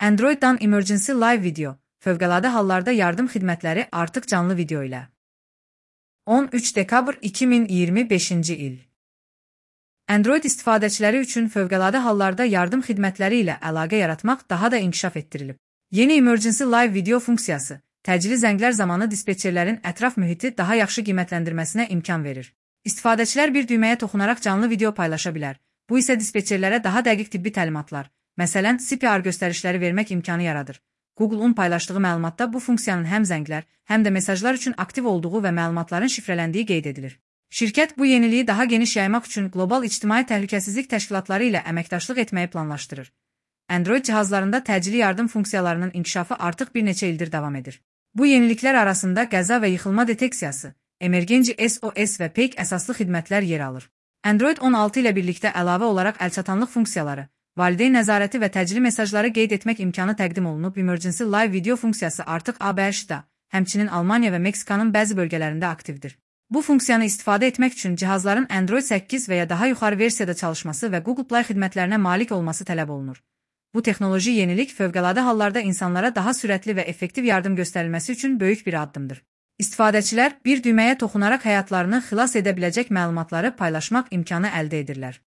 Android'dan Emergency Live Video, fövqəladə hallarda yardım xidmətləri artıq canlı video ilə. 13 dekabr 2025-ci il. Android istifadəçiləri üçün fövqəladə hallarda yardım xidmətləri ilə əlaqə yaratmaq daha da inkişaf etdirilib. Yeni Emergency Live Video funksiyası, təcili zənglər zamanı dispetçerlərin ətraf mühiti daha yaxşı qiymətləndirməsinə imkan verir. İstifadəçilər bir düyməyə toxunaraq canlı video paylaşa bilər. Bu isə dispetçerlərə daha dəqiq tibbi təlimatlar, məsələn, CPR göstərişləri vermək imkanı yaradır. Google-un paylaşdığı məlumatda bu funksiyanın həm zənglər, həm də mesajlar üçün aktiv olduğu və məlumatların şifrələndiyi qeyd edilir. Şirkət bu yeniliyi daha geniş yaymaq üçün qlobal ictimai təhlükəsizlik təşkilatları ilə əməkdaşlıq etməyi planlaşdırır. Android cihazlarında təcili yardım funksiyalarının inkişafı artıq bir neçə ildir davam edir. Bu yeniliklər arasında qəza və yıxılma deteksiyası, Emergency SOS və PEIC əsaslı xidmətlər yer alır. Android 16 ilə birlikdə əlavə olaraq əlçatanlıq funksiyaları, valideyn nəzarəti və təcili mesajları qeyd etmək imkanı təqdim olunub. Emergency Live Video funksiyası artıq ABŞ-da, həmçinin Almaniya və Meksikanın bəzi bölgələrində aktivdir. Bu funksiyanı istifadə etmək üçün cihazların Android 8 və ya daha yuxarı versiyada çalışması və Google Play xidmətlərinə malik olması tələb olunur. Bu texnoloji yenilik fövqəladə hallarda insanlara daha sürətli və effektiv yardım göstərilməsi üçün böyük bir addımdır. İstifadəçilər bir düyməyə toxunaraq həyatlarını xilas edə biləcək məlumatları paylaşmaq imkanı əldə edirlər.